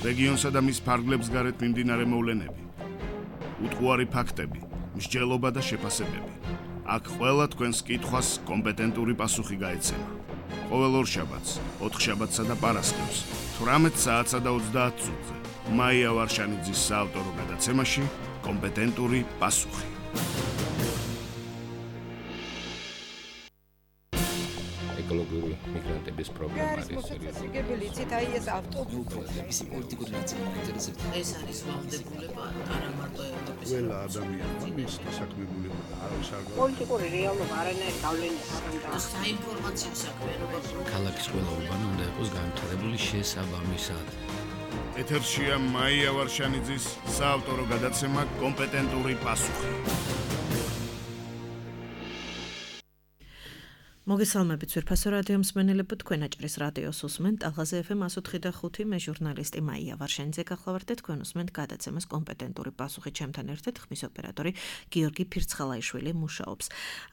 რეგიონსა და მის ფარგლებს გარეთ მიმდინარე მოვლენები, უტყუარი ფაქტები, მსჯელობა და შეფასებები. აქ ყველა თქვენს კითხვას კომპეტენტური პასუხი გაეცემა. ყოველ ორშაბათს, ოთხშაბათსა და პარასკევს, 18 საათსა და 30 წუთზე. მაია ვარშანიძის საავტორო გადაცემაში კომპეტენტური პასუხი. ეკოლოგიური მიგრანტების პრობლემა არის სერიოზული. იცით, აი ეს ავტობუსი პოლიტიკური ნაწილი მაინტერესებს. ეს არის ვალდებულება არა მარტო ევროპის. ყველა ადამიანმა მის დასაქმებულება არის აღარ. პოლიტიკური რეალობა არანაირ გავლენას არ აქვს. საინფორმაციო საქმიანობა ქალაქის ყველა უბანი უნდა იყოს განვითარებული შესაბამისად. ეთერშია მაია ვარშანიძის საავტორო გადაცემა კომპეტენტური პასუხი. მოგესალმებით ძვირფასო რადიო მსმენელებო, თქვენ აჭრის რადიოს უსმენთ ტალღაზე FM 104.5 მე ჟურნალისტი მაია ვარშანიძე გახლავართ და თქვენ უსმენთ გადაცემას კომპეტენტური პასუხი. ჩემთან ერთად ხმის ოპერატორი გიორგი ფირცხალაიშვილი მუშაობს.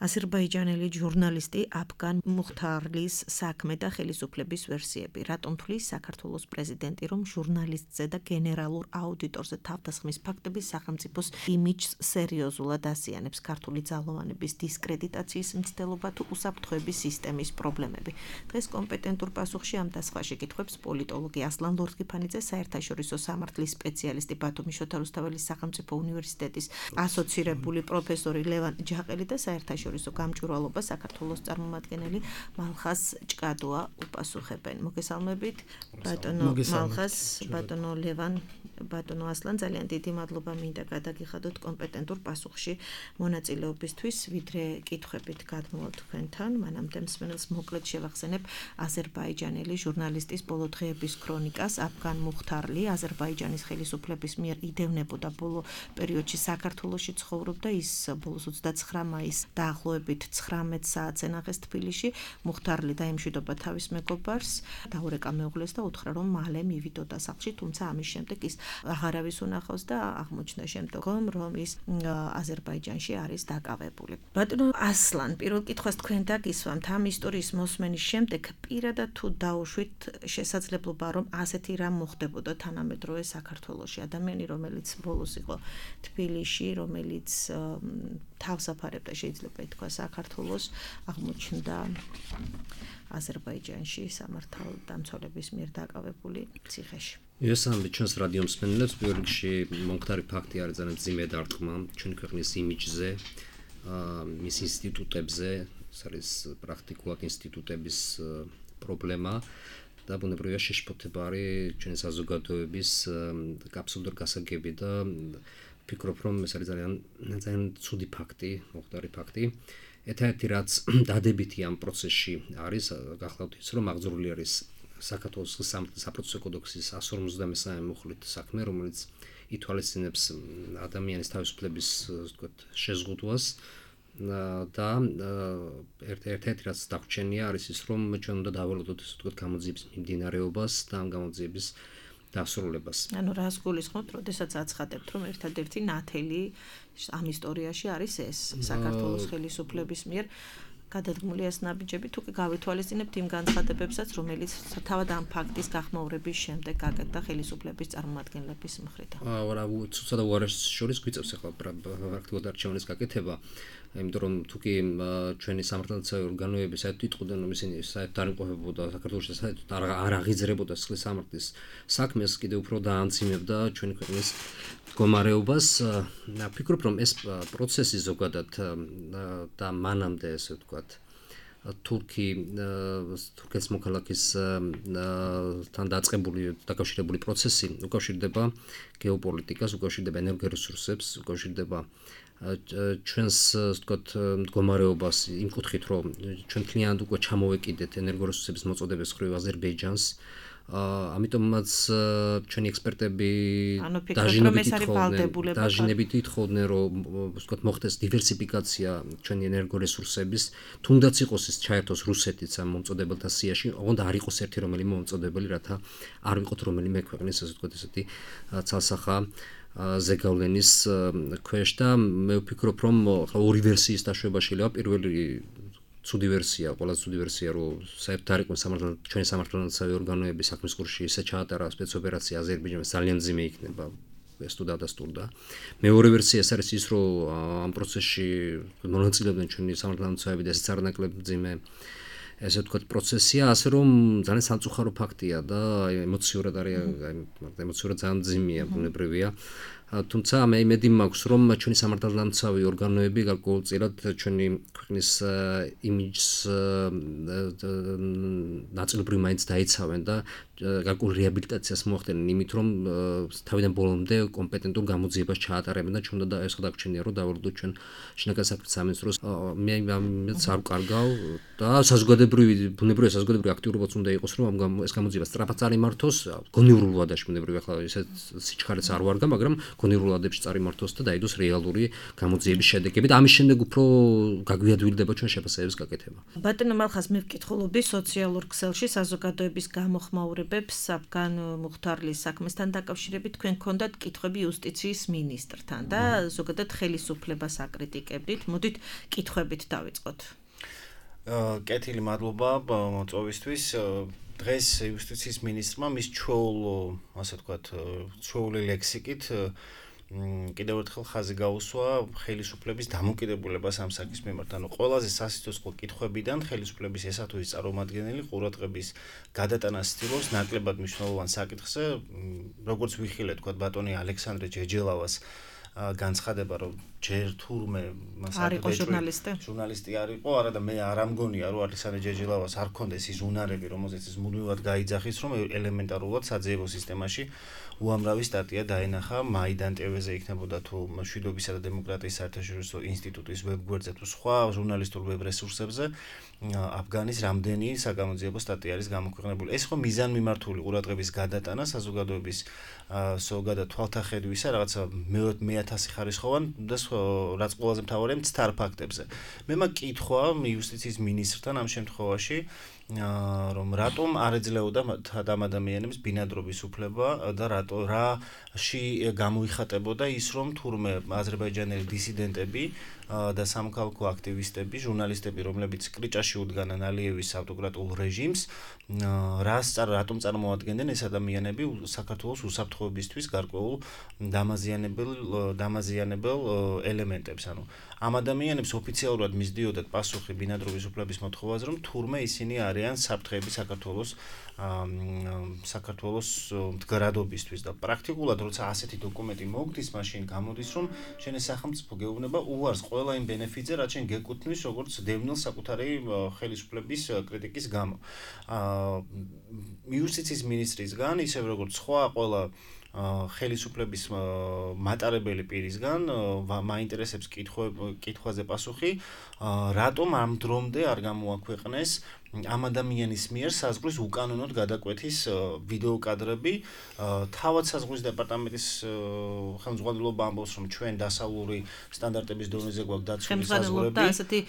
აზერბაიჯანელი ჟურნალისტი აფგან მუხთარლის საქმე და ხელისუფლების ვერსიები. რატომ თვლის საქართველოს პრეზიდენტი, რომ ჟურნალისტზე და გენერალურ აუდიტორზე თავდასხმის ფაქტები სახელმწიფოს იმიჯს სერიოზულად ასიანებს? ქართული ძალოვანების დისკრედიტაციის მცდელობა თუ უსაფრთხოების სისტემის პრობლემები. დღეს კომპეტენტურ პასუხში ამ და სხვა შეკითხვებს პოლიტოლოგი ასლან ლორთქიფანიძე, საერთაშორისო სამართლის სპეციალისტი ბათუმის შოთა რუსთაველის სახელმწიფო უნივერსიტეტის ასოცირებული პროფესორი ლევან ჯაყელი და საერთაშორისო გამჭვირვალობა საქართველოს წარმომადგენელი მალხაზ ჭკადოა უპასუხებენ. მოგესალმებით ბატონო მალხაზ, ბატონო ლევან, ბატონო ასლან, ძალიან დიდი მადლობა მინდა გადაგიხადოთ კომპეტენტურ პასუხში მონაწილეობისთვის. ვიდრე კითხვებით გადმოვალ თქვენთან, მანამდე მსმენელს მოკლედ შევახსენებ აზერბაიჯანელი ჟურნალისტის ბოლო დღეების ქრონიკას. აფგან მუხთარლი აზერბაიჯანის ხელისუფლების მიერ იდევნებოდა ბოლო პერიოდში საქართველოში ცხოვრობდა. ის ბოლოს 29 მაისს დაახლოებით 19 საათზე ნახეს თბილისში. მუხთარლი დაემშვიდობა თავის მეგობარს, დაურეკა მეუღლეს და უთხრა, რომ მალე მივიდოდა სახლში, თუმცა ამის შემდეგ ის აღარავის უნახავს და აღმოჩნდა შემდგომ, რომ ის აზერბაიჯანში არის დაკავებული. ბატონო ასლან, პირველ კითხვას თქვენ დაგისვამთ. ამ ისტორიის მოსმენის შემდეგ პირადად თუ დაუშვით შესაძლებლობა, რომ ასეთი რამ მოხდებოდა თანამედროვე საქართველოში? ადამიანი, რომელიც ბოლოს იყო თბილისში, რომელიც თავს აფარებდა, შეიძლება ითქვა, საქართველოს, აღმოჩნდა აზერბაიჯანში სამართალდამცველების მიერ დაკავებული ციხეში. მოგესალმებით ჩვენს რადიო მსმენელებს. პირველ რიგში მომხდარი ფაქტი არის ძალიან მძიმე დარტყმა ჩვენი ქვეყნის იმიჯზე, მის ინსტიტუტებზე. ეს არის პრაქტიკულად ინსტიტუტების პრობლემა და ბუნებრივია შეშფოთება არის ჩვენი საზოგადოების აბსოლუტურ გასაგები და ვფიქრობ, რომ ეს არის ძალიან ცუდი ფაქტი, მომხდარი ფაქტი. ერთ-ერთი რაც დადებითი ამ პროცესში არის, გახლავთ ის, რომ აღძრული არის საქართველოს საპროცესო კოდექსის 153 მუხლით საქმე, რომელიც ითვალისწინებს ადამიანის თავისუფლების, ვთქვათ, შეზღუდვას. და ერთ-ერთი რაც დაგვრჩენია არის ის, რომ ჩვენ უნდა დავალოდოთ, ასე ვთქვათ, გამოძიების მიმდინარეობას და ამ გამოძიების დასრულებას. ანუ რას გულისხმობთ, როდესაც აცხადებთ, რომ ერთადერთი ნათელი ამ ისტორიაში არის ეს საქართველოს ხელისუფლების მიერ გადადგმული ეს ნაბიჯები, თუ კი გავითვალისწინებთ იმ განცხადებებსაც, რომელიც თავად ამ ფაქტის გახმაურების შემდეგ გაკეთდა ხელისუფლების წარმომადგენლების მხრიდან? არა, ცუცადა უარეს შორის გვიწევს ახლა პრაქტიკულად არჩევნის გაკეთება. იმიტომ რომ თუ კი ჩვენი სამართალდამცავი ორგანოები საერთოდ იტყუდნენ, რომ ისინი საერთოდ არ იმყოფებოდა საქართველოში, საერთოდ არ აღიძრებოდა სისხლის სამართლის საქმეს, კიდევ უფრო დაამძიმებდა ჩვენი ქვეყნის მდგომარეობას. ვფიქრობ, რომ ეს პროცესი ზოგადად და მანამდე, ესე ვთქვათ, თურქეთის მოქალაქის თან დაწყებული დაკავშირებული პროცესი უკავშირდება გეოპოლიტიკას, უკავშირდება ენერგორესურსებს, უკავშირდება ჩვენს, ვთქვათ, მდგომარეობას იმ კუთხით, რომ ჩვენ მთლიანად უკვე ჩამოვეკიდეთ ენერგორესურსების მოწოდების მხრივ აზერბაიჯანს. ამიტომაც ჩვენი ექსპერტები დაჟინებით ითხოვდნენ, რომ ვთქვათ, მოხდეს დივერსიფიკაცია ჩვენი ენერგორესურსების, თუნდაც იყოს ის ჩაერთოს რუსეთიც ამ მომწოდებელთა სიაში, ოღონდ არ იყოს ერთი რომელიმე მომწოდებელი, რათა არ ვიყოთ რომელიმე ქვეყნის, ასე ვთქვათ, ესეთი ცალსახა ზეგავლენის ქვეშ და მე ვფიქრობ, რომ ორი ვერსიის დაშვება შეიძლება. პირველი ცუდი ვერსია, ყველაზე ცუდი ვერსია, რომ საერთოდ არ იყო ჩვენი სამართალდამცავი ორგანოების საქმის კურსში ისე ჩაატარა სპეცოპერაცია აზერბაიჯანში ძალიან მძიმე იქნება. ეს თუ დადასტურდა. მეორე ვერსია ეს არის ის, რომ ამ პროცესში მონაწილეობდნენ ჩვენი სამართალდამცავები და ესეც არანაკლებ მძიმე ესე ვთქვათ პროცესია, ასე რომ ძალიან სამწუხარო ფაქტია და ემოციურად არის, ემოციურად ძალიან მძიმეა, ბუნებრივია. თუმცა მე იმედი მაქვს, რომ ჩვენი სამართალდამცავი ორგანოები გარკვეულწილად ჩვენი ქვეყნის იმიჯს ნაწილობრივ მაინც დაიცავენ და გარკვეულ რეაბილიტაციას მოახდენენ იმით, რომ თავიდან ბოლომდე კომპეტენტურ გამოძიებას ჩაატარებენ და ჩვენ და ეს დაგვრჩენია, რომ დავარდოთ ჩვენ შინაგან საქმეთა სამინისტროს მე ამაც არ ვკარგავ და ბუნებრივია საზოგადოებრივი აქტიურობაც უნდა იყოს, რომ ეს გამოძიება სწრაფად წარიმართოს, გონივრულ ვადაში ბუნებრივია ახლა ისეთ სიჩქარეც არ ვარგა, მაგრამ გონივრულ ვადებში წარიმართოს და დაიდოს რეალური გამოძიების შედეგები და ამის შემდეგ უფრო გაგვიადვილდება ჩვენ შეფასებების გაკეთება. ბატონო მალხას მე ვკითხულობდი სოციალურ ქსელში საზოგადოების გამოხმაურებებს საფგან მუხთარლის საქმესთან დაკავშირებით თქვენ გქონდათ კითხვები იუსტიციის მინისტრთან და ზოგადად ხელისუფლებას აკრიტიკებდით. მოდით კითხვებით დავიწყოთ. კეთილი მადლობა მოწვევისთვის. დღეს იუსტიციის მინისტრმა მის ასე ვთქვათ, ჩვეული ლექსიკით კიდევ ერთხელ ხაზი გაუსვა ხელისუფლების დამოკიდებულებას ამ საკითხის მიმართ. ანუ ყველაზე სასიცოცხლო კითხვებიდან ხელისუფლების ესა თუ ის წარმომადგენელი ყურადღების გადატანას ცდილობს ნაკლებად მნიშვნელოვან საკითხზე, როგორც ვიხილეთ, თქვათ ბატონი ალექსანდრე ჯეჯელავას განცხადება, რომ ჯერ თურმე ჟურნალისტი არ იყო, არა და მე არ ამგონია, რომ ალექსანდრე ჯეჯელავას არ ქონდეს ის უნარები, რომელზეც ის მუდმივად გაიძახის, რომ ელემენტარულად საძიებო სისტემაში უამრავი სტატია დაენახა მაიდან ტევ-ზე იქნებოდა თუ მშვიდობისა და დემოკრატიის საერთაშორისო ინსტიტუტის ვებგვერდზე თუ სხვა ჟურნალისტურ ვებ რესურსებზე აფგანის რამდენი საგამოძიებო სტატია არის გამოქვეყნებული. ეს ხო მიზანმიმართული ყურადღების გადატანა საზოგადოების ზოგადად თვალთახედვისა, რაღაცა მე-1000 ხარისხოვან და რაც ყველაზე მთავარია მცდარ ფაქტებზე. მე მაკითხვა იუსტიციის მინისტრთან ამ შემთხვევაში რომ რატომ არ ეძლეოდა ამ ადამიანებს ბინადრობის უფლება და რაში გამოიხატებოდა ის, რომ თურმე აზერბაიჯანელი დისიდენტები და სამოქალაქო აქტივისტები, ჟურნალისტები, რომლებიც კრიჭაში უდგანან ალიევის ავტოკრატულ რეჟიმს, რატომ წარმოადგენდნენ ეს ადამიანები საქართველოს უსაფრთხოებისთვის გარკვეულ დამაზიანებელ ელემენტებს. ანუ ამ ადამიანებს ოფიციალურად მისდიოდათ პასუხი ბინადრობის უფლების მოთხოვაზე, რომ თურმე ისინი არიან საფრთხეები საქართველოს მდგრადობისთვის და პრაქტიკულად როცა ასეთი დოკუმენტი მოგდის, მაშინ გამოდის, რომ შენი სახელმწიფო გეუბნება უარს ყველა იმ ბენეფიტზე, რაც შენ გეკუთვნის როგორც დევნილ საკუთარი ხელისუფლების კრიტიკის გამო. იუსტიციის მინისტრისგან, ისევ როგორც სხვა ყველა ხელისუფლების მატარებელი პირისგან მაინტერესებს კითხვაზე პასუხი, რატომ ამ დრომდე არ გამოაქვეყნეს ამ ადამიანის მიერ საზღვრის უკანონოდ გადაკვეთის ვიდეო კადრები. თავად საზღვრის დეპარტამენტის ხელმძღვანელობა ამბობს, რომ ჩვენ დასავლური სტანდარტების დონეზე გვაქვს დაცული საზღვრები. და ასეთი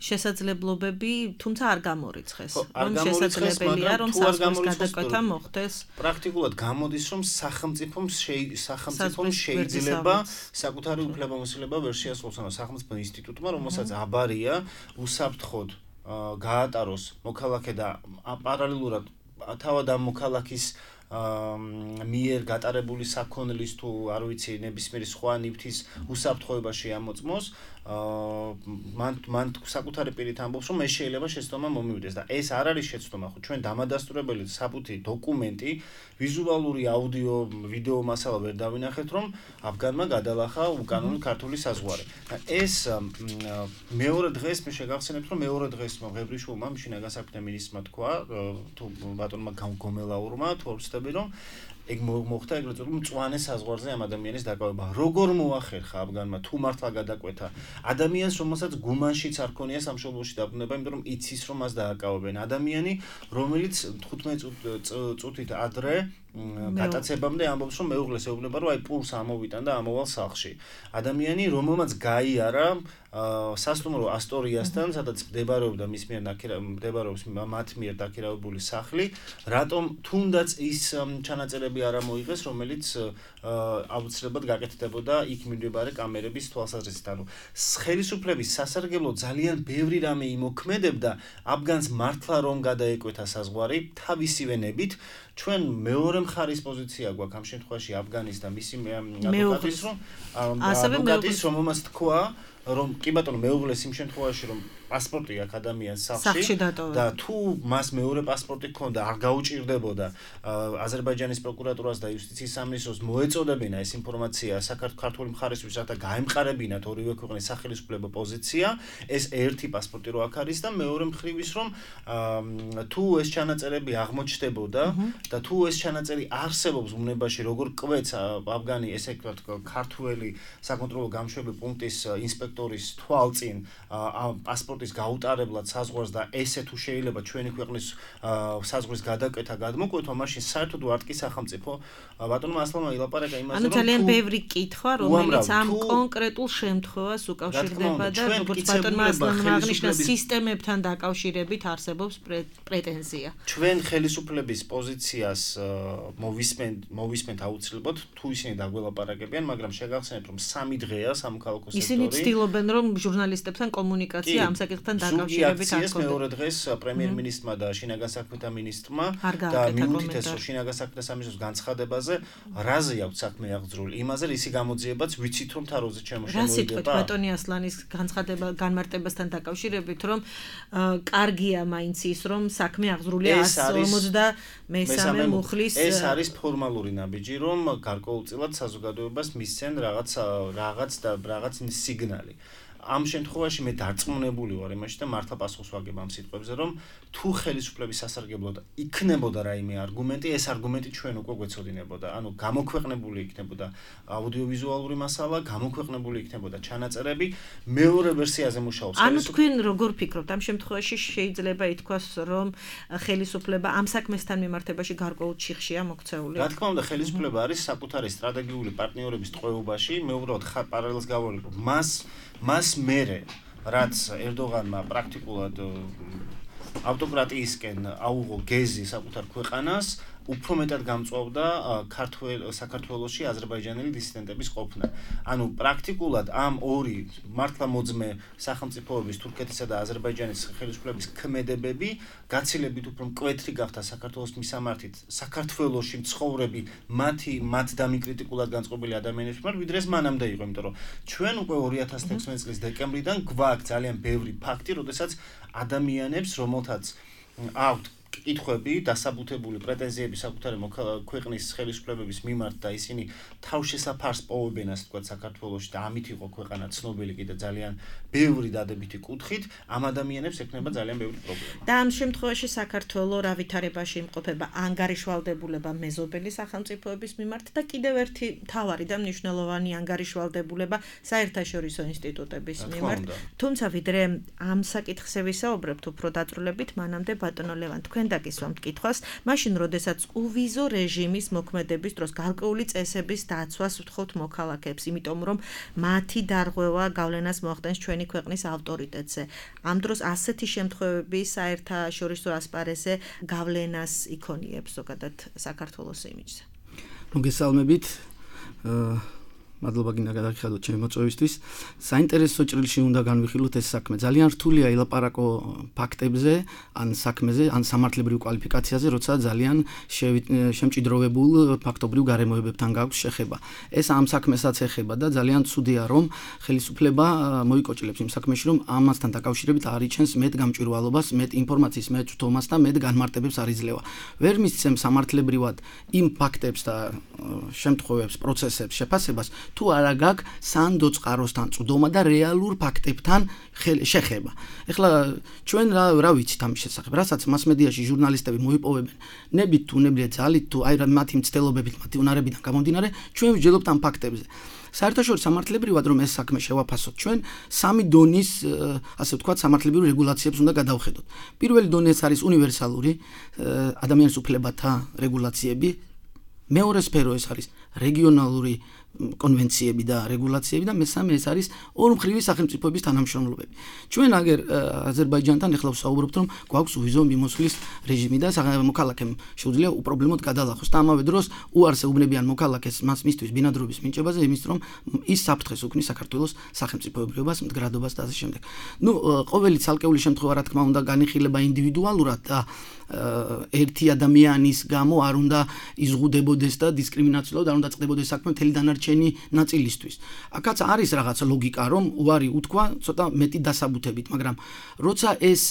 შესაძლებლობები, თუმცა არ გამორიცხეს. რომ შესაძლებელია, რომ საზღვრის გადაკვეთა მოხდეს. პრაქტიკულად გამოდის, რომ სახელმწიფომ შეიძლება საკუთარი უფლებამოსილება ვერ შეასრულოს, ანუ სახელმწიფო ინსტიტუტმა, რომელსაც აბარია უსაფრთხოდ გაატაროს მოქალაქე და პარალელურად თავად ამ მოქალაქის მიერ გატარებული საქონლის თუ არ ვიცი ნებისმიერი სხვა ნივთის უსაფრთხოება შეამოწმოს, მან საკუთარი პირით ამბობს, რომ ეს შეიძლება შეცდომა მომივიდეს და ეს არ არის შეცდომა, ხო ჩვენ დამადასტურებელი საბუთი დოკუმენტი, ვიზუალური აუდიო, ვიდეო მასალა ვერ დავინახეთ, რომ აფგანმა გადალახა უკანონო ქართული საზღვარი. ეს მეორე დღეს მე შეგახსენებთ, რომ მეორე დღეს ღებრიშვილმა შინაგან საქმეთა მინისტრმა თქვა, თუ ბატონმა გომელაურმა, თუ არ ვცდები, რომ ეგ მოხდა ეგრეთ წოდებული მწვანე საზღვარზე ამ ადამიანის დაკავება. როგორ მოახერხა აფგანმა თუ მართლა გადაკვეთა ადამიანს, რომელსაც გუმანშიც არ ქონია სამშობლოში დაბრუნება, იმიტომ რომ იცის რომ მას დააკავებენ. ადამიანი, რომელიც 15 წუთით ადრე გატაცებამდე ამბობს, რომ მეუღლეს ეუბნება, რომ აი პულს ამოვიტან და ამოვალ სახლში. ადამიანი, რომელმაც გაიარა სასტუმრო ასტორიასთან, სადაც მდებარეობდა მათ მიერ დაქირავებული სახლი, რატომ თუნდაც ის ჩანაწერები ნებისმიერი არ მოიღეს, რომელიც აუცილებლად გაკეთდებოდა იქ მიმდებარე კამერების თვალსაზრისით. ანუ ხელისუფლების სასარგებლო ძალიან ბევრი რამე იმოქმედებდა აფგანს მართლა რომ გადაეკვეთა საზღვარი თავისივე ნებით. ჩვენ მეორე მხარის პოზიცია გვაქვს ამ შემთხვევაში აფგანის და მისი ადვოკატის რომელმაც თქვა რომ კი ბატონო მეუღლეს იმ შემთხვევაში რომ პასპორტი აქვს ადამიანს სახლში და თუ მას მეორე პასპორტი ჰქონდა არ გაუჭირდებოდა აზერბაიჯანის პროკურატურას და იუსტიციის სამინისტროს მოეწოდებინა ეს ინფორმაცია საქართველოს მხარესთვის რათა გაემყარებინათ ორივე ქვეყნის სახელმწიფო პოზიცია ეს ერთი პასპორტი რო აქ არის და მეორე მხრივის რომ თუ ეს ჩანაწერები აღმოჩნდებოდა და თუ ეს ჩანაწერი არსებობს უნებაში როგორ კვეთს აფგანი ესე ვთქვათ ქართველი საკონტროლო გამშვები პუნქტის ინსპექტორის თვალწინ პასპორტის გაუტარებლად საზღვარს და ესე თუ შეიძლება ჩვენი ქვეყნის საზღვრის გადაკეთა გადმოკვეთვა მაშინ საერთოდ ვარტკი სახელმწიფო ბატონო ასლამა ილაპარაკა იმაზე რომ ძალიან ბევრი კითხვა რომელიც ამ კონკრეტულ შემთხვევას უკავშირდება და როგორც ბატონმა ასლამმა აღნიშნა სისტემებთან დაკავშირებით არსებობს პრეტენზია ჩვენ ხელისუფლების პოზიციას მოვისმენთ აუცილებლად თუ ისინი დაგველაპარაკებიან მაგრამ შეგახსენებთ რომ 3 დღეა სამოქალაქო სექტორი ისინი ცდილობენ რომ ჟურნალისტებთან კომუნიკაცია ამ საკითხთან დაკავშირებით აქციას მეორე დღეს პრემიერ-მინისტრმა და შინაგან საქმეთა მინისტრმა და მიუთითეს რომ შინაგან საქმეთა სამინისტროს განცხადებაზე რაზე აქვს საქმე აღძრული იმაზე რისი გამოძიებაც ვიცით რომ თაროზე შემოიდება რა სიტყვით ბატონი ასლანის განცხადება განმარტებასთან დაკავშირებით რომ კარგია მაინც ის რომ საქმე აღძრულია 153 მუხლის ეს არის ფორმალური ნაბიჯი რომ გარკვეულწილად საზოგადოებას მისცენ რაღაც სიგნალი ამ შემთხვევაში მე დარწმუნებული ვარ იმაში და მართლა პასუხს ვაგებ ამ სიტყვებზე რომ თუ ხელისუფლების სასარგებლოდ იქნებოდა რაიმე არგუმენტი ეს არგუმენტი ჩვენ უკვე გვეცოდინებოდა ანუ გამოქვეყნებული იქნებოდა აუდიოვიზუალური მასალა გამოქვეყნებული იქნებოდა ჩანაწერები მეორე ვერსიაზე მუშაობს ანუ თქვენ როგორ ფიქრობთ ამ შემთხვევაში შეიძლება ითქვას რომ ხელისუფლება ამ საქმესთან მიმართებაში გარკვეულ ჩიხშია მოქცეული რა თქმა უნდა ხელისუფლება არის საკუთარი სტრატეგიული პარტნიორების ტყვეობაში მე უბრალოდ პარალელს გავავლებ მას მერე რაც ერდოღანმა პრაქტიკულად ავტოკრატიისკენ აუღო გეზი საკუთარ ქვეყანას უფრო მეტად გამწვავდა საქართველოში აზერბაიჯანელი დისიდენტების ყოფნა. ანუ პრაქტიკულად ამ ორი მართლა მოძმე სახელმწიფოების თურქეთისა და აზერბაიჯანის ხელისუფლების ქმედებები გაცილებით უფრო მკვეთრი გახდა საქართველოს მისამართით საქართველოში მცხოვრები მათ დამიკრიტიკულად განწყობილი ადამიანების მიმართ ვიდრე ეს მანამდე იყო, იმიტომ რომ ჩვენ უკვე 2016 წლის დეკემბრიდან გვაქვს ძალიან ბევრი ფაქტი, როდესაც ადამიანებს რომელთაც აქვთ კითხვები, დასაბუთებული პრეტენზიები საკუთარი ქვეყნის ხელისუფლებების მიმართ და ისინი თავშესაფარს პოვებენ, ასე ვთქვათ, საქართველოში და ამით იყო ქვეყანა ცნობილი კიდე ძალიან ბევრი დადებითი კუთხით, ამ ადამიანებს ექნება ძალიან ბევრი პრობლემა. და ამ შემთხვევაში საქართველოს რა ვითარებაში იმყოფება ანგარიშვალდებულება მეზობელი სახელმწიფოების მიმართ და კიდევ ერთი მთავარი და მნიშვნელოვანი ანგარიშვალდებულება საერთაშორისო ინსტიტუტების მიმართ. თუმცა ვიდრე ამ საკითხზე ვისაუბრებთ უფრო დაწვრილებით, მანამდე ბატონო ლევან თქვენ დაგისვამთ კითხვას, მაშინ როდესაც უვიზო რეჟიმის მოქმედების დროს გარკვეული წესების დაცვას ვთხოვთ მოქალაქეებს, იმიტომ რომ მათი დარღვევა გავლენას მოახდენს ჩვენი ქვეყნის ავტორიტეტზე. ამ დროს ასეთი შემთხვევები საერთაშორისო ასპარეზზე გავლენას იქონიებს ზოგადად საქართველოს იმიჯზე. მოგესალმებით. მადლობა გინდა გადაგიხადოთ ჩემი მოწვევისთვის. საინტერესო ჭრილში უნდა განვიხილოთ ეს საქმე. ძალიან რთულია ილაპარაკო ფაქტებზე, ან საქმეზე, ან სამართლებრივ კვალიფიკაციაზე, როცა ძალიან შემჭიდროვებულ ფაქტობრივ გარემოებებთან გაქვს შეხება. ეს ამ საქმესაც ეხება და ძალიან ცუდია, რომ ხელისუფლება მოიკოჭლებს იმ საქმეში, რომ ამასთან დაკავშირებით არ იჩენს მეტ გამჭვირვალობას, მეტ ინფორმაციის, მეტ თომას და მეტ განმარტებებს არ იძლევა. ვერ მისცემს სამართლებრივად იმ ფაქტებს და შემთხვევებს, პროცესებს შეფასებას თუ არა გაქვს სანდო წყაროსთან წვდომა და რეალურ ფაქტებთან შეხება. ეხლა ჩვენ რა ვიცით ამის შესახებ, რასაც მასმედიაში ჟურნალისტები მოიპოვებენ, ნებით თუ ნებლიეთ ძალით თუ აი მათი მცდელობებით, მათი უნარებიდან გამომდინარე, ჩვენ ვჯელობთ ამ ფაქტებზე. საერთაშორისო სამართლებრივად რომ ეს საქმე შევაფასოთ, ჩვენ 3 დონის, ასე ვთქვათ, სამართლებრივ რეგულაციებს უნდა გადავხედოთ. პირველი დონე არის უნივერსალური ადამიანის უფლებათა რეგულაციები, მეორე სფერო ეს არის რეგიონალური კონვენციები და რეგულაციები და მესამე ეს არის ორმხრივი სახელმწიფოების თანამშრომლობები. ჩვენ აგერ აზერბაიჯანთან ეხლა ვსაუბრობთ, რომ გვაქვს ვიზო მიმოსვლის რეჟიმი და მოქალაქემ შეუძლია უპრობლემოდ გადალახოს და ამავე დროს უარს ეუბნებიან მოქალაქეს მას მისთვის ბინადრობის მინიჭებაზე იმის რომ ის საფრთხეს უქმნის საქართველოს სახელმწიფოებრიობას, მდგრადობას და ასე შემდეგ. ყოველი ცალკეული შემთხვევა რა თქმა უნდა განიხილება ინდივიდუალურად და ერთი ადამიანის გამო არ უნდა იზღუდებოდეს და დისკრიმინაციულად არ უნდა წყდებოდეს საქმე მთელი დანარჩენი ნაწილისთვის. აქაც არის რაღაც ლოგიკა, რომ უარი უთქვა ცოტა მეტი დასაბუთებით, მაგრამ როცა ეს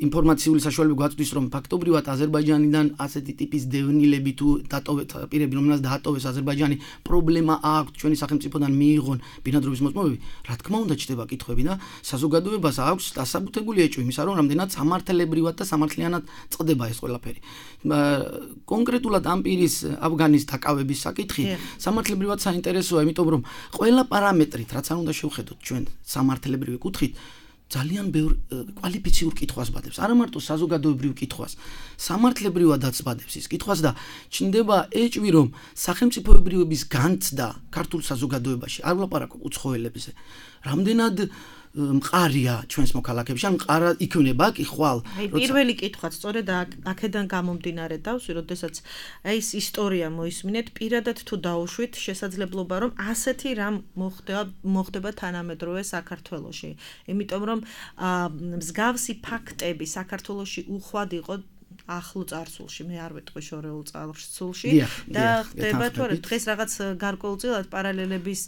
ინფორმაციული საშუალება გვაწვდის, რომ ფაქტობრივად აზერბაიჯანიდან ასეთი ტიპის დევნილები თუ დატოვეთ პირები, რომელსაც დაატოვეს აზერბაიჯანი, პრობლემა აქვს ჩვენი სახელმწიფოდან მიიღონ ბინადრობის მოწმობები, რა თქმა უნდა ჩდება კითხვები და საზოგადოებას აქვს დასაბუთებული ეჭვი იმისა, რომ რამდენად სამართლებრივად და სამართლიანად წყდება ეს ყველაფერი. კონკრეტულად ამ პირის ავგანის დაკავების საკითხი სამართლებრივად საინტერესოა, იმიტომ რომ ყველა პარამეტრით, რაც არ უნდა შევხედოთ ჩვენ სამართლებრივი კუთხით, ძალიან ბევრ კვალიფიციურ კითხვას ბადებს. არა მარტო საზოგადოებრივ კითხვას, სამართლებრივადაც ბადებს ის კითხვას და ჩნდება ეჭვი, რომ სახელმწიფოებრიობის განცდა ქართულ საზოგადოებაში, არ ვლაპარაკობ უცხოელებზე, რამდენად მყარია ჩვენს მოქალაქეებში, ან მყარა იქნება კი ხვალ. პირველი კითხვაც სწორედ აქედან გამომდინარე დავსვი, როდესაც ეს ისტორია მოისმინეთ, პირადად თუ დაუშვით შესაძლებლობა, რომ ასეთი რამ მოხდება თანამედროვე საქართველოში. იმიტომ რომ მსგავსი ფაქტები საქართველოში უხვად იყო ახლო წარსულში, მე არ ვეტყვი შორეულ წარსულში და ხდება თუ არა დღეს რაღაც გარკვეულწილად პარალელების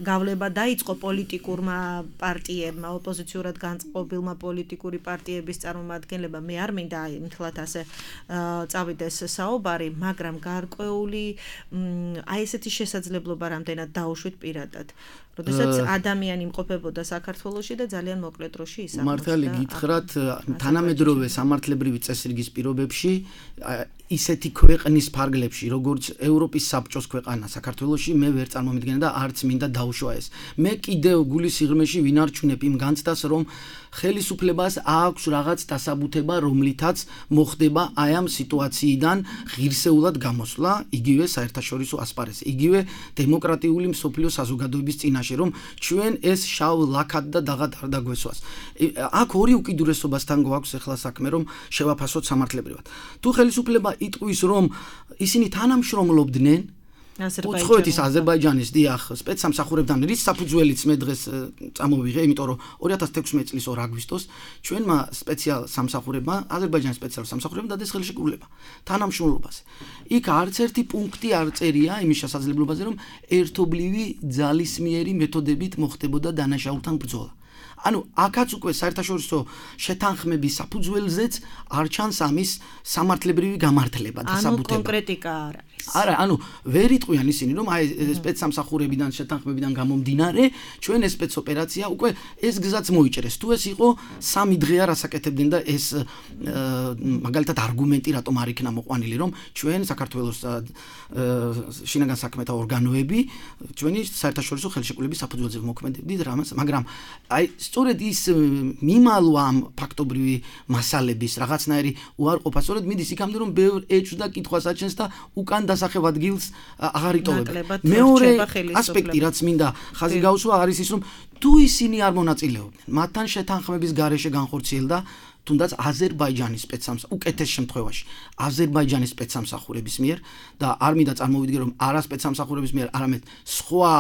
გავლება დაიწყო პოლიტიკურმა პარტიებმა, ოპოზიციურად განწყობილმა პოლიტიკური პარტიების წარმომადგენლებმა. მე არ მინდა მთლად ასე წავიდეს საუბარი, მაგრამ გარკვეული აი ესეთი შესაძლებლობა რამდენად დაუშვით პირადად. როდესაც ადამიანი იმყოფებოდა საქართველოში და ძალიან მოკლე დროში ისახმოდა. მართალი გითხრათ, თანამედროვე სამართლებრივი წესრიგის პირობებში ისეთი ქვეყნის ფარგლებში, როგორც ევროპის საბჭოს ქვეყანა საქართველოში, მე ვერ წარმომიდგენია და არც მინდა დაუშვა ეს. მე კიდევ გულის სიღრმეში ვინარჩუნებ იმ განცდას, რომ ხელისუფლებას აქვს რაღაც დასაბუთება, რომლითაც მოხდება აი ამ სიტუაციიდან ღირსეულად გამოსვლა, იგივე საერთაშორისო ასპარეზზე, იგივე დემოკრატიული მსოფლიო საზოგადოების წინაშე, რომ ჩვენ ეს შავ ლაქად და დაღად არ დაგვესვას. აქ ორი უკიდურესობასთან გვაქვს ახლა საქმე, რომ შევაფასოთ სამართლებრივად. თუ ხელისუფლება იტყვის, რომ ისინი თანამშრომლობდნენ უცხოეთის აზერბაიჯანის დიახ სპეცსამსახურებთან, რის საფუძველიც მე დღეს წამოვიღე, იმიტომ რომ 2016 წლის 2 აგვისტოს ჩვენმა სპეციალ სამსახურებმა, აზერბაიჯანის სპეციალურ სამსახურებმა დades ხელშეკრულება თანამშრომლობაზე. იქ არც ერთი პუნქტი არ წერია იმის შესაძლებლობაზე, რომ ერთობლივი ძალისმიერი მეთოდებით მოხდებოდა დანაშაულთან ბრძოლა. ანუ აქაც უკვე საერთაშორისო შეთანხმების საფუძველზეც არ ჩანს ამის სამართლებრივი გამართლება და საბუთება. ანუ კონკრეტიკა არ არის. არა, ანუ ვერ იტყვიან ისინი, რომ აი სპეცსამსახურებიდან შეთანხმებიდან გამომდინარე, ჩვენ ეს სპეცოპერაცია უკვე ეს გზაც მოიჭრეს. თუ ეს იყო 3 დღეა რასაკეთებდნენ და ეს მაგალითად არგუმენტი რატომ არ იქნა მოყვანილი, რომ ჩვენ საქართველოს შინაგან საქმეთა ორგანოები ჩვენი საერთაშორისო ხელშეკრულების საფუძველზე მოქმედებდით რამაც, მაგრამ აი სწორედ ის მიმალვა ამ ფაქტობრივი მასალების რაღაცნაირი უარყოფა სწორედ მიდის იქამდე, რომ ბევრ ეჭვს და კითხვას აჩენს და უკან დასახებ ადგილს აღარ იტოვება. მეორე ასპექტი, რაც მინდა ხაზი გაუსვა, არის ის, რომ თუ ისინი არ მონაწილეობდნენ, მათთან შეთანხმების გარეშე განხორციელდა თუნდაც აზერბაიჯანის უკეთეს შემთხვევაში აზერბაიჯანის სპეცსამსახურების მიერ და არ მინდა წარმოვიდგე, რომ არა სპეცსამსახურების მიერ, არამედ სხვა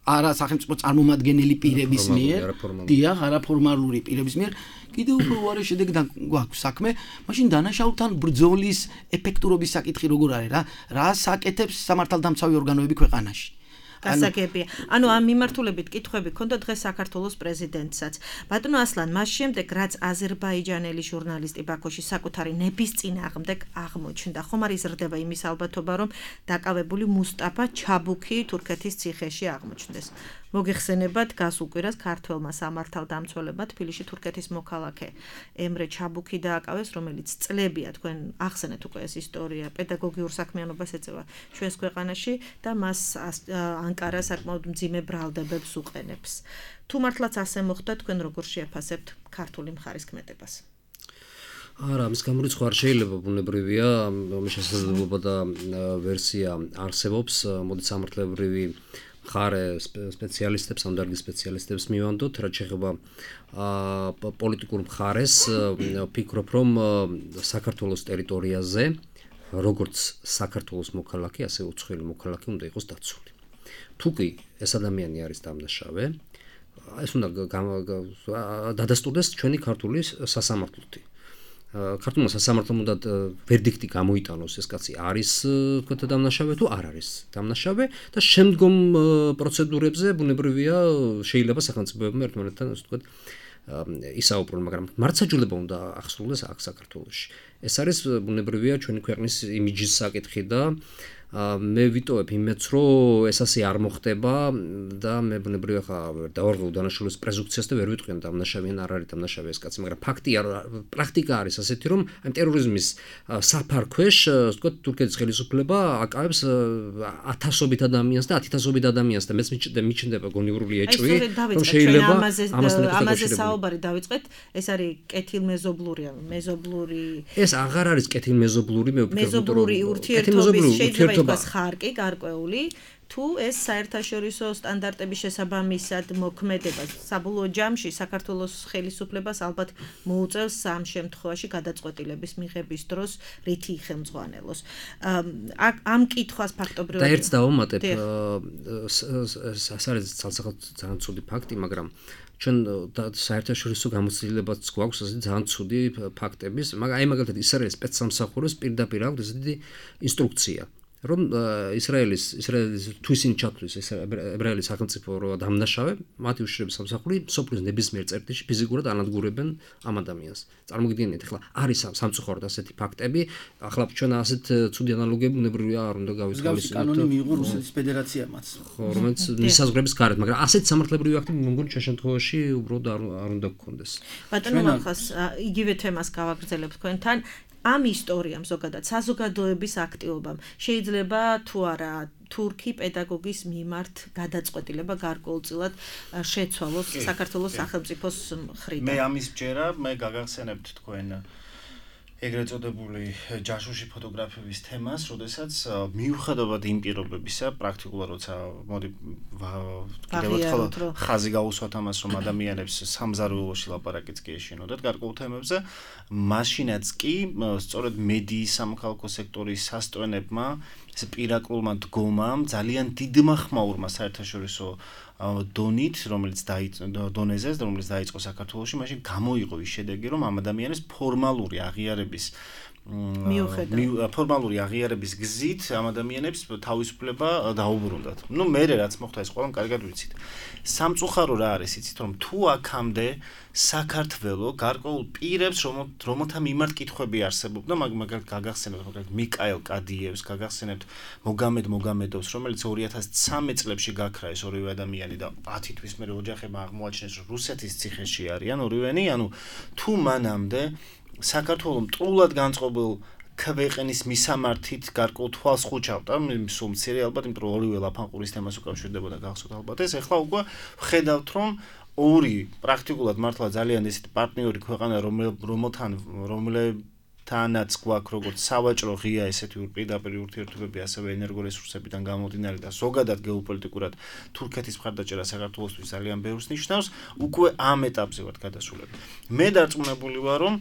არა სახელმწიფო წარმომადგენელი პირების მიერ, დიახ, არაფორმალური პირების მიერ, კიდევ უფრო უარი შედეგი გვაქვს საქმე, მაშინ დანაშაულთან ბრძოლის ეფექტურობის საკითხი როგორ არის რა? რას აკეთებს სამართალდამცავი ორგანოები ქვეყანაში? გასაგებია. ანუ ამ მიმართულებით კითხვები ქონდა დღეს საქართველოს პრეზიდენტსაც. ბატონო ასლან, მას შემდეგ რაც აზერბაიჯანელი ჟურნალისტი ბაქოში საკუთარი ნების წინააღმდეგ აღმოჩნდა, ხომ არ იზრდება იმის ალბათობა, რომ დაკავებული მუსტაფა ჩაბუქი თურქეთის ციხეში აღმოჩნდეს. მოგეხსენებათ გასულ კვირას ქართველმა სამართალდამცველებმა თბილისში თურქეთის მოქალაქე ემრე ჩაბუქი დააკავეს, რომელიც წლებია თქვენ ახსენეთ უკვე ეს ისტორია, პედაგოგიურ საქმიანობას ეწევა ჩვენს ქვეყანაში და მას ანკარა საკმაოდ მძიმე ბრალდებებს უყენებს. თუ მართლაც ასე მოხდა, თქვენ როგორ შეაფასებთ ქართული მხარის კმეტებას? არა, მის გამორიცხვა არ შეიძლება ბუნებრივია, შესაძლებლობა და ვერსია არსებობს, მოდით სამართლებრივი ხარე სპეციალისტებს, ამ დარგის სპეციალისტებს მივანდოთ, რაც შეეხება პოლიტიკურ მხარეს, ვფიქრობ, რომ საქართველოს ტერიტორიაზე, როგორც საქართველოს მოქალაქე, ასე უცხოელი მოქალაქე უნდა იყოს დაცული. თუ კი ეს ადამიანი არის დამნაშავე, ეს უნდა დადასტურდეს ჩვენი ქართული სასამართლოთი. ქართულმა სასამართლომ უნდა ვერდიქტი გამოიტანოს, ეს კაცი არის თქვათ დამნაშავე თუ არ არის დამნაშავე და შემდგომ პროცედურებზე ბუნებრივია შეიძლება სახელმწიფოებმა ერთმანეთთან ასე ვთქვათ ისაუბრონ, მაგრამ მართლმსაჯულება უნდა ახსოვდეს აქ საქართველოში. ეს არის ბუნებრივია ჩვენი ქვეყნის იმიჯის საკითხი და მე ვიტოვებ იმედს, რომ ეს ასე არ მოხდება და მე ბუნებრივია ხა დავარღვევ დანაშაულის პრეზუმპციას და ვერ ვიტყვიან დამნაშავეან არ არის დამნაშავე ეს კაცი, მაგრამ ფაქტია, პრაქტიკა არის ასეთი, რომ ამ ტერორიზმის საფარქვეშ, ვთქვათ, თურქეთის ხელისუფლება აკავებს ათასობით ადამიანს და 10,000-ობით ადამიანს და მეც მიჩნდება გონივრული ეჭვი, რომ შეიძლება ამაზე საუბარი დავიწყეთ, ეს არის კეთილმეზობლური, მეზობლური. ეს აღარ არის კეთილმეზობლური, მე ვფიქრობ, მეზობლური ურთიერთობის შეიძლება იყოს ხარკი გარკვეული, თუ ეს საერთაშორისო სტანდარტების შესაბამისად მოქმედება საბოლოო ჯამში საქართველოს ხელისუფლებას ალბათ მოუწევს ამ შემთხვევაში გადაწყვეტილების მიღების დროს რითი ხელმძღვანელოს. ამ კითხვას ფაქტობრივად და ერთს დავამატებ, ეს არის ძალიან ცუდი ფაქტი, მაგრამ ჩვენ საერთაშორისო გამოცდილებაც გვაქვს ასეთი ძალიან ცუდი ფაქტების, მაგრამ აი მაგალითად ისრაელის სპეცსამსახუროს პირდაპირ აქვს ესეთი ინსტრუქცია, რომ ისრაელის თუ ისინი ჩათვლის ებრაელის სახელმწიფო დამნაშავე, მათი უშიშრების სამსახური სოფლის ნებისმიერ წერტილში ფიზიკურად ანადგურებენ ამ ადამიანს. წარმოგიდგენთ, ახლა არის სამწუხაროდ ასეთი ფაქტები, ახლა ჩვენ ასეთ ცუდი ანალოგიები ბუნებრივია არ უნდა გავისყოლოთ. კანონი მიიღო რუსეთის ფედერაციამაც. ხო, რომელიც მისაზღვრების გარეთ, მაგრამ ასეთ სამართლებრივი აქტი მე მგონი ჩვენ შემთხვევაში უბრალოდ არ უნდა გქონდეს. ბატონო მახას იგივე თემას გავაგრძელებთ თქვენთან. ამ ისტორიამ ზოგადად საზოგადოების აქტივობამ შეიძლება თუ არა თურქი პედაგოგის მიმართ გადაწყვეტილება გარკვეულწილად შეცვალოს საქართველოს სახელმწიფოს მხრიდან. მე ამის ჯერა მე გაგახსენებთ თქვენ ეგრეთ წოდებული ჯაშუში ფოტოგრაფების თემას, როდესაც მიუხედავად იმ პირობებისა, პრაქტიკულად როცა მოდი კიდევ ხაზი გაუსვათ ამას, რომ ადამიანებს სამზარეულოში ლაპარაკიც კი ეშინოდათ გარკვეულ თემებზე, მაშინაც კი სწორედ მედიის სამოქალაქო სექტორის სასტვენებმა, ეს პირაკლულმა დგომამ ძალიან დიდმა ხმაურმა საერთაშორისო დონით, რომელიც დაიწყო საქართველოში, მაშინ გამოიღო ის შედეგი, რომ ამ ადამიანებს ფორმალური აღიარების გზით ამ ადამიანებს თავისუფლება დაუბრუნდათ. ნუ მერე რაც მოხდა ეს ყველამ კარგად ვიცით. სამწუხარო რა არის, იცით, რომ თუ აქამდე საქართველო გარკვეულ პირებს, რომელთა მიმართ კითხვები არსებობდა, მაგალითად გაგახსენებთ მიკაელ კადიევს, გაგახსენებთ მოგამედოვს, რომელიც 2013 წლებში გაქრა ეს ორივე ადამიანი და 10 თვის მერე ოჯახებმა აღმოაჩინეს, რომ რუსეთის ციხეში არიან ორივენი, ანუ თუ მანამდე საქართველოს მტრულად განწყობილ ქვეყნის მისამართით გარკვეულ თვალს ხუჭავდა, სულ მცირე ალბათ, იმიტომ რომ ორივე ლაფანყურის თემას უკავშირდებოდა გახსოვთ ალბათ ეს, ახლა უკვე ვხედავთ, რომ ორი პრაქტიკულად მართლა ძალიან ესეთი პარტნიორი ქვეყანა, რომელთანაც გვაქვს როგორც სავაჭრო ღია ესეთი პირდაპირ ურთიერთობები, ასევე ენერგორესურსებიდან გამომდინარე და ზოგადად გეოპოლიტიკურად თურქეთის მხარდაჭერა საქართველოსთვის ძალიან ბევრს ნიშნავს, უკვე ამ ეტაპზე ვართ გადასულები. მე დარწმუნებული ვარ, რომ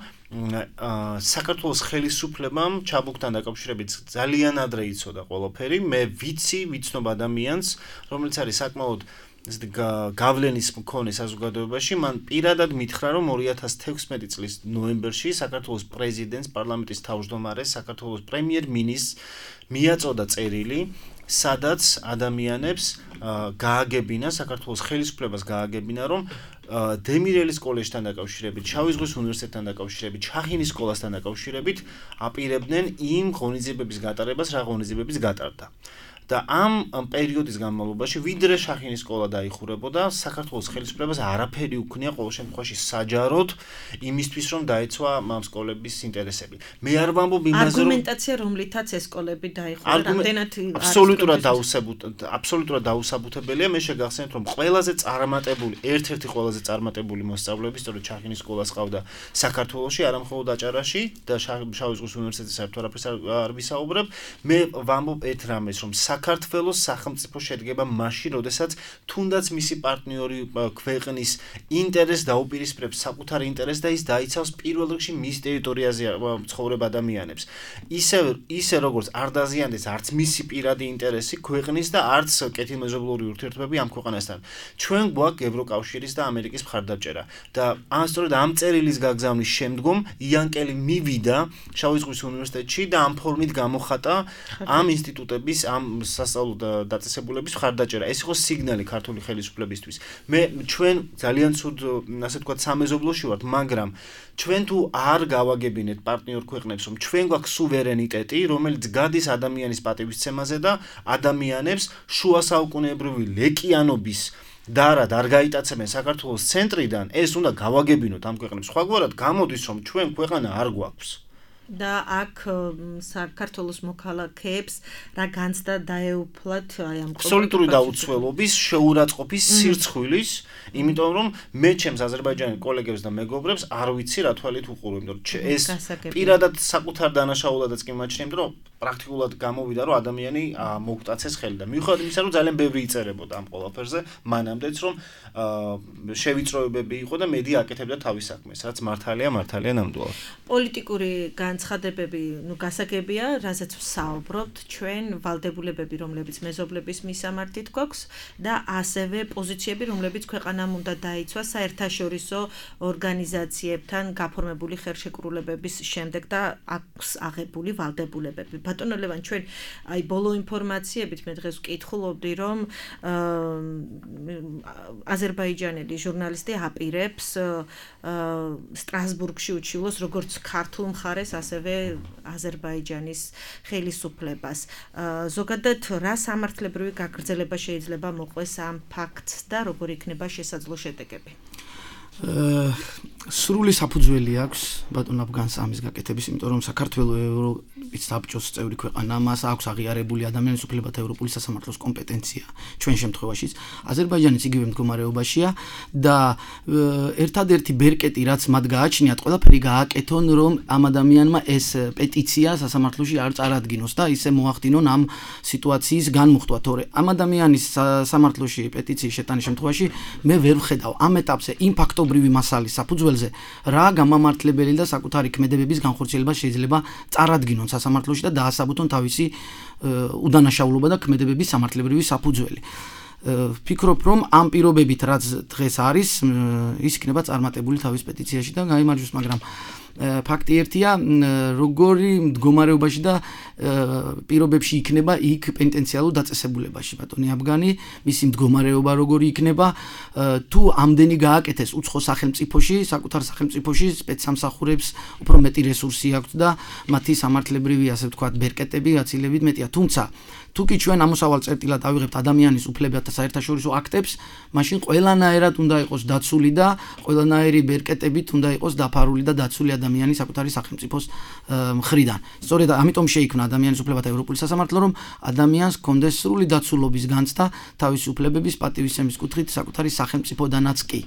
საქართველოს ხელისუფლებამ ჩაბუქთან დაკავშირებით ძალიან ადრე იცოდა ყველაფერი, მე ვიცნობ ადამიანს, რომელიც არის საკმაოდ გავლენის მქონე საზოგადოებაში, მან პირადად მითხრა, რომ 2016 წლის ნოემბერში საქართველოს პრეზიდენტს, პარლამენტის თავმჯდომარეს, საქართველოს პრემიერ-მინისტრს მიაწოდა წერილი, სადაც ადამიანებს გააგებინა, საქართველოს ხელისუფლებას გააგებინა, რომ დემირელის კოლეჯთან დაკავშირებით, შავი ზღვის უნივერსიტეტთან დაკავშირებით, ჩახინის სკოლასთან დაკავშირებით აპირებდნენ იმ ღონისძიებების გატარებას, რა ღონისძიებების გატარდა. და ამ პერიოდის განმავლობაში ვიდრე შახინის სკოლა დაიხურებოდა, საქართველოს ხელისუფლებას არაფერი უქნია ყოველ შემთხვევაში საჯაროდ იმისთვის, რომ დაეცვა ამ სკოლების ინტერესები. მე არ ვამბობ იმაზე, რომ არგუმენტაცია, რომლითაც ეს სკოლები დაიხურა, რამდენად აბსოლუტურად დაუსაბუთებელია. მე შეგახსენებთ, რომ ერთ-ერთი ყველაზე წარმატებული მოსწავლეები სწორედ შახინის სკოლას ყავდა საქართველოში, არა მხოლოდ აჭარაში და შავი ზღვის უნივერსიტეტის საერთო არაფერს არ ვისაუბრებ. მე ვამბობ ერთ რამეს, რომ საქართველოს სახელმწიფო შედგება მაშინ, როდესაც თუნდაც მისი პარტნიორი ქვეყნის ინტერესს დაუპირისპირებს საკუთარ ინტერესს და ის დაიცავს პირველ რიგში მის ტერიტორიაზე ცხოვრებ ადამიანებს. ისე როგორც არ დაზიანდეს არც მისი პირადი ინტერესი ქვეყნის და არც კეთილმეზობლური ურთიერთობები ამ ქვეყანასთან. ჩვენ გვაქვს ევროკავშირის და ამერიკის მხარდაჭერა და სწორედ ამ წერილის გაგზავნის შემდგომ იანკელი მივიდა შავი ზღვის უნივერსიტეტში და ამ ფორმით გამოხატა ამ ინსტიტუტების, ამ სასწავლო დაწესებულების მხარდაჭერა. ეს იყო სიგნალი ქართული ხელისუფლებისთვის. ჩვენ ძალიან ცუდ, ასე ვთქვათ, სამეზობლოში ვართ, მაგრამ ჩვენ თუ არ გავაგებინეთ პარტნიორ ქვეყნებს, რომ ჩვენ გვაქვს სუვერენიტეტი, რომელიც გადის ადამიანის პატივისცემაზე და ადამიანებს შუა საუკუნეებრივი ლეკიანობის დარად არ გაიტაცებენ საქართველოს ცენტრიდან, ეს უნდა გავაგებინოთ ამ ქვეყნებს. სხვაგვარად გამოდის, რომ ჩვენ ქვეყანა არ გვაქვს. და აქ საქართველოს მოქალაქეებს რა განცდა დაეუფლათ აი ამ აბსოლუტური დაუცველობის, შეურაცხყოფის, სირცხვილის, იმიტომ რომ მე ჩემს აზერბაიჯანელ კოლეგებს და მეგობრებს არ ვიცი რა თვალით უყურო, იმიტომ რომ ეს პირადად საკუთარ დანაშაულადაც კი მაჩნია, იმიტომ რომ პრაქტიკულად გამოვიდა, რომ ადამიანი მოგვტაცეს ხელი და მიუხედავად იმისა, რომ ძალიან ბევრი იწერებოდა ამ ყველაფერზე, მანამდეც რომ შევიწროებები იყო და მედია აკეთებდა თავის საქმეს, რაც მართალია ნამდვილად. პოლიტიკური განცხადებები, გასაგებია, რაზეც ვსაუბრობთ, ჩვენ ვალდებულებები, რომლებიც მეზობლების მისამართით გვაქვს და ასევე პოზიციები, რომლებიც ქვეყანამ უნდა დაიცვა საერთაშორისო ორგანიზაციებთან გაფორმებული ხელშეკრულებების შემდეგ და აქვს აღებული ვალდებულებები. ბატონო ლევან, ჩვენ აი ბოლო ინფორმაციებით მე დღეს ვკითხულობდი, რომ აზერბაიჯანელი ჟურნალისტი აპირებს სტრასბურგში უჩივლოს როგორც ქართულ მხარეს, ასევე აზერბაიჯანის ხელისუფლებას. ზოგადად რა სამართლებრივი გაგრძელება შეიძლება მოყვეს ამ ფაქტს და როგორ იქნება შესაძლო შედეგები? სრული საფუძველი აქვს ბატონ აფგანს ამის გაკეთების, იმიტომ რომ საქართველოს ევროპის საბჭოს წევრი ქვეყანა, მას აქვს აღიარებული ადამიანის უფლებათა ევროპული სასამართლოს კომპეტენცია ჩვენ შემთხვევაშიც. აზერბაიჯანიც იგივე მდგომარეობაშია და ერთადერთი ბერკეტი, რაც მათ გააჩნიათ, ყველაფერი გააკეთონ, რომ ამ ადამიანმა ეს პეტიცია სასამართლოში არ წარადგინოს და ისე მოახდინონ ამ სიტუაციის განმუხტვა, თორე ამ ადამიანის სასამართლოში პეტიციის შეტანის შემთხვევაში მე ვერ ვხედავ ამ ეტაპზე იმ ფაქტობრივი მასალის საფუძველზე რა გამამართლებელი და საკუთარი ქმედებების განხორციელება შეიძლება წარადგინონ სასამართლოში და დაასაბუთონ თავისი უდანაშაულობა და ქმედებების სამართლებრივი საფუძველი. ვფიქრობ, რომ ამ პირობებით რაც დღეს არის, ის იქნება წარმატებული თავის პეტიციაში და გაიმარჯვოს, მაგრამ ფაქტი ერთია, როგორი მდგომარეობაში და პირობებში იქნება იქ პენტენციალურ დაწესებულებაში ბატონი აფგანი, მისი მდგომარეობა როგორი იქნება, თუ ამდენი გააკეთეს უცხო სახელმწიფოში, საკუთარ სახელმწიფოში სპეცსამსახურებს უფრო მეტი რესურსი აქვს და მათი სამართლებრივი, ასე ვთქვათ, ბერკეტები გაცილებით მეტია, თუმცა თუ კი ჩვენ ამოსავალ წერტილად ავიღებთ ადამიანის უფლებათა საერთაშორისო აქტებს, მაშინ ყველანაირად უნდა იყოს დაცული და ყველანაირი ბერკეტებით უნდა იყოს დაფარული და დაცული ადამიანის საკუთარი სახელმწიფოს მხრიდან. სწორედ ამიტომ შეიქმნა ადამიანის უფლებათა ევროპული სასამართლო, რომ ადამიანს ჰქონდეს სრული დაცულობის განცდა თავისი უფლებების პატივისცემის კუთხით საკუთარი სახელმწიფოდანაც კი.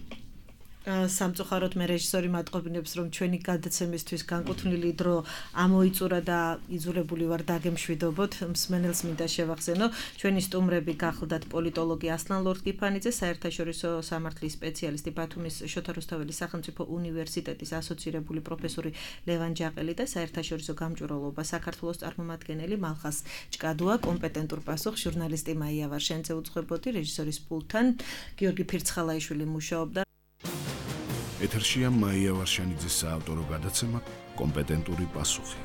სამწუხაროდ მე რეჟისორი მატყობინებს, რომ ჩვენი გადაცემისთვის განკუთვნილი დრო ამოიწურა და იძულებული ვარ დაგემშვიდობოთ. მსმენელს მინდა შევახსენო, ჩვენი სტუმრები გახლდათ პოლიტოლოგი ასლან ლორდ-გიფანიძე, საერთაშორისო სამართლის სპეციალისტი ბათუმის შოთა რუსთაველის სახელმწიფო უნივერსიტეტის ასოცირებული პროფესორი ლევან ჯაყელი და საერთაშორისო გამჭვირვალობა საქართველოს წარმომადგენელი მალხას ჭკადუა, კომპეტენტურ პასუხს ჟურნალისტი მაია ვარშენცე უძღვებოდი, რეჟისორის პულტთან გიორგი ფირცხალაიშვილი მუშაობდა. ეთერშია მაია ვარშენიძის საავტორო გადაცემა კომპეტენტური პასუხი.